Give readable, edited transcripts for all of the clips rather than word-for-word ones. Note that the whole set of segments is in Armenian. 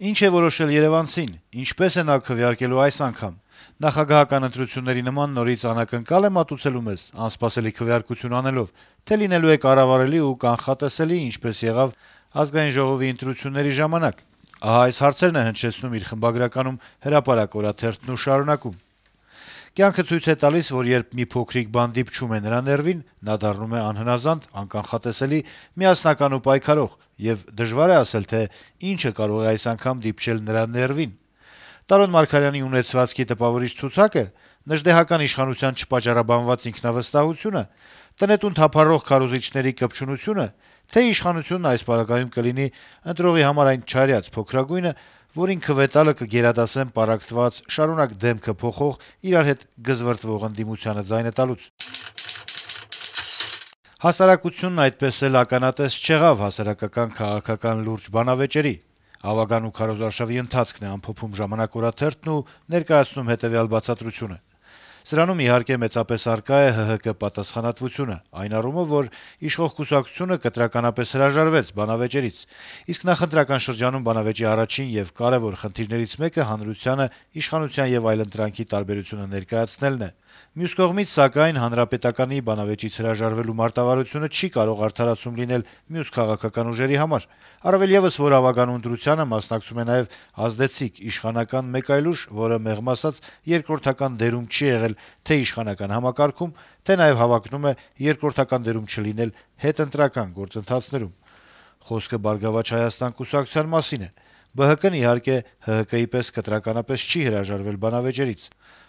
Ինչ է որոշել երեւանցին, ինչպես է նա քվեարկելու այս անգամ: Նախագահական ընտրությունների նման նորից անակնկալ է մատուցելու մեզ, անսպասելի քվեարկություն անելով, թե լինելու է կառավարելի ու կանխատեսելի, ինչպես եղավ ԱԺ ընտրությունների ժամանակ: Ահա այս հարցերն է հնչեցնում իր խմբագրականում «Հրապարակ» օրաթերթն ու շարունակում. - «Կյանքը ցույց է տալիս, որ երբ մի փոքրիկ բան դիպչում է նրա ներվին, նա դառնում է անհնազանդ, անկանխատեսելի, միասնական ու պայքարող, եւ դժվար է ասել, թե ինչը կարող է այս անգամ դիպչել նրա ներվին: Տարոն Մարգարյանի ունեցվածքի տպավորիչ ցուցակը, նժդեհական իշխանության չպատճառաբանված ինքնավստահությունը, տնետուն թափառող քարոզիչների կպչունությունը, թե իշխանությունն այս պարագայում կլինի ընտրողի համար այն չարյաց փոքրագույնը, որին քվե տալը կգերադասեն պառակտված, շարունակ դեմքը փոխող, իրար հետ գզվռտվող ընդդիմությանը ձայնը տալուց»: Հասարակությունն այդպես էլ ականատես չեղավ հասարակական քաղաքական լուրջ բանավեճերի: «Ավագան ու քարոզարշավի ընթացքն է» ամփոփում «Ժամանակ» օրաթերթն ու ներկայացնում հետեւյալ բացատրությունը. - «Սրանում, իհարկե, մեծապես առկա է ՀՀԿ պատասխանատվությունը, այն առումով, որ իշխող կուսակցությունը կտրականապես հրաժարվեց բանավեճերից: Իսկ նախընտրական շրջանում բանավեճի առաջին եւ կարեւոր խնդիրներից մեկը հանրությանը իշխանության եւ այլընտրանքի տարբերությունը ներկայացնելն է: Մյուս կողմից, սակայն, Հանրապետականի բանավեճից հրաժարվելու մարտավարությունը չի կարող արդարացում լինել մյուս քաղաքական ուժերի համար: Առավել եւս, որ ավագանու ընտրությանը մասնակցում է նաեւ ազդեցիկ իշխանական մեկ այլ ուժ, որը, մեղմ ասած, երկրորդական դերում չի եղել թե' իշխանական համակարգում, թե' նաեւ հավակնում է երկրորդական դերում չլինել հետընտրական գործընթացներում: Խոսքը «Բարգավաճ Հայաստան» կուսակցության մասին է: ԲՀԿ-ն, իհարկե, ՀՀԿ-ի պես կտրականապես չի հրաժարվել բանավեճերից: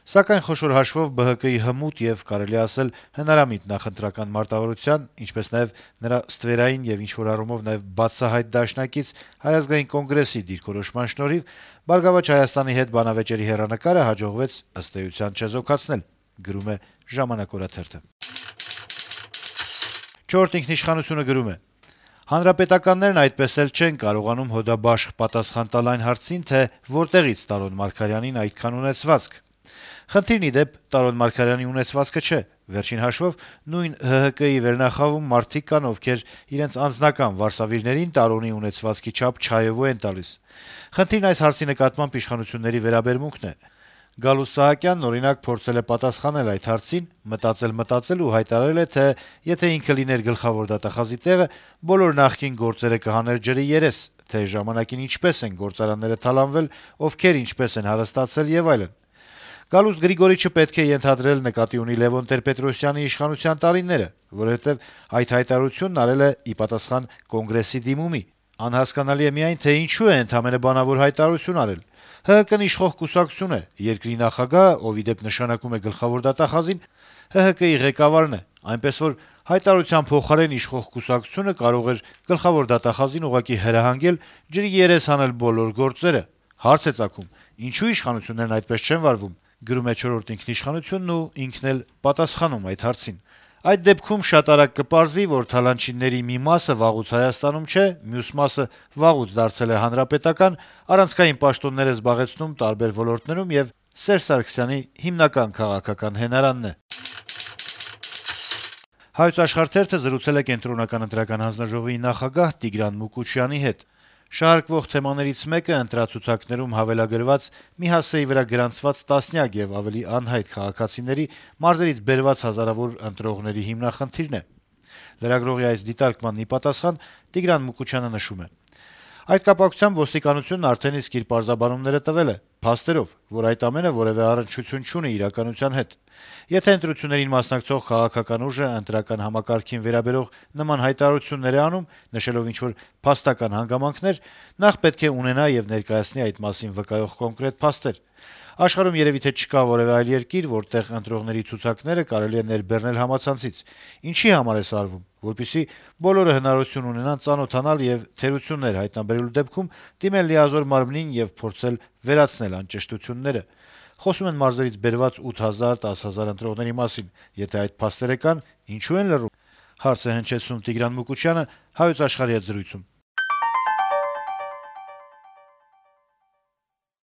Սակայն, խոշոր հաշվով, ԲՀԿ-ի հմուտ եւ, կարելի է ասել, հնարամիտ նախընտրական մարտավարության, ինչպես նաեւ նրա ստվերային եւ ինչ-որ առումով նաեւ բացահայտ դաշնակից Հայ ազգային կոնգրեսի դիրքորոշման շնորհիվ «Բարգավաճ Հայաստան»-ի հետ բանավեճերի հեռանկարը հաջողվեց, ըստ էության, չեզոքացնել»: «Չորրորդ ինքնիշխանություն»-ը գրում է. - «Հանրապետականներն այդպես էլ չեն կարողանում հոդաբաշխ պատասխան տալ այն հարցին, թե որտեղից Տարոն Մարգարյանին այդքան ունեցվածք: Խնդիրն, ի դեպ, Տարոն Մարգարյանի ունեցվածքը չէ: Վերջին հաշվով, նույն ՀՀԿ-ի վերնախավում մարդիկ կան, ովքեր իրենց անձնական վարսավիրներին Տարոնի ունեցվածքի չափ չայովու են տալիս: Խնդիրն այս հարցի նկատմամբ իշխանությունների վերաբերմունքն է: Գալուստ Սահակյանն, օրինակ, փորձել է պատասխանել այդ հարցին, մտածել ու հայտարարել է, թե եթե ինքը լիներ գլխավոր դատախազի տեղը, բոլոր նախկին գործերը կհաներ ջրի երես, թե ժամանակին ինչպես են գործարանները թալանվել, ովքեր ինչպես են հարստացել եւ այլն: Գալուստ Գրիգորիչը պետք է ենթադրել նկատի ունի Լեւոն Տեր-Պետրոսյանի իշխանության տարիները, որովհետեւ այդ հայտարարությունն արել է ի պատասխան Կոնգրեսի դիմումի: Անհասկանալի է միայն, թե ինչու է ընդամենը բանավոր հայտարարություն արել: ՀՀԿ-ն իշխող կուսակցություն է, երկրի նախագահը, ով, ի դեպ, նշանակում է գլխավոր դատախազին, ՀՀԿ-ի ղեկավարն է, այնպես որ հայտարարության փոխարեն իշխող կուսակցությունը կարող էր գլխավոր դատախազին ուղղակի հրահանգել ջրի երես հանել բոլոր գործերը: Հարց է ծագում. ինչո՞ւ իշխանություններն այդպես չեն վարվում: Ինքն էլ պատասխանում այդ հարցին: Այդ դեպքում շատ արագ կպարզվի, որ թալանչիների մի մասը վաղուց Հայաստանում չէ, մյուս մասը վաղուց դարձել է հանրապետական, առանցքային պաշտոններ է զբաղեցնում տարբեր ոլորտներում եւ Սերժ Սարգսյանի հիմնական քաղաքական հենարանն է»: «Հայոց Աշխարհ» թերթը զրուցել է Կենտրոնական ընտրական հանձնաժողովի նախագահ Տիգրան Մուկուչյանի հետ: Շարարկվող թեմաներից մեկը ընտրացուցակներում հավելագրված, մի հասցեի վրա գրանցված տասնյակ եւ ավելի անհայտ քաղաքացիների մարզերից բերված հազարավոր ընտրողների հիմնախնդիրն է: Լրագրողի այս դիտարկմանն ի պատասխան Տիգրան Մուկուչյանը նշում է. - «Այդ կապակցությամբ ոստիկանությունն արդեն իսկ իր պարզաբանումները տվել է, փաստերով, որ այդ ամենը որեւէ առնչություն չունի իրականության հետ: Եթե ընտրություններին մասնակցող քաղաքական ուժը ընտրական համակարգին վերաբերող նման հայտարարություններ է անում, նշելով ինչ-որ փաստական հանգամանքներ, նախ պետք է ունենա եւ ներկայացնի այդ մասին վկայող կոնկրետ փաստեր: Աշխարհում երեւի թե չկա որեւէ այլ երկիր, որտեղ ընտրողների ցուցակները կարելի է ներբեռնել համացանցից: Ինչի համար է սա արվում: Որպեսզի բոլորը հնարավորություն ունենան ծանոթանալ եւ թերություններ հայտնաբերելու դեպքում դիմել լիազոր մարմնին եւ փորձել վերացնել անճշտությունները: Խոսում են մարզերից բերված 8 հազար, 10 հազար ընտրողների մասին: Եթե այդ փաստերը կան, ինչո՞ւ են լռում»: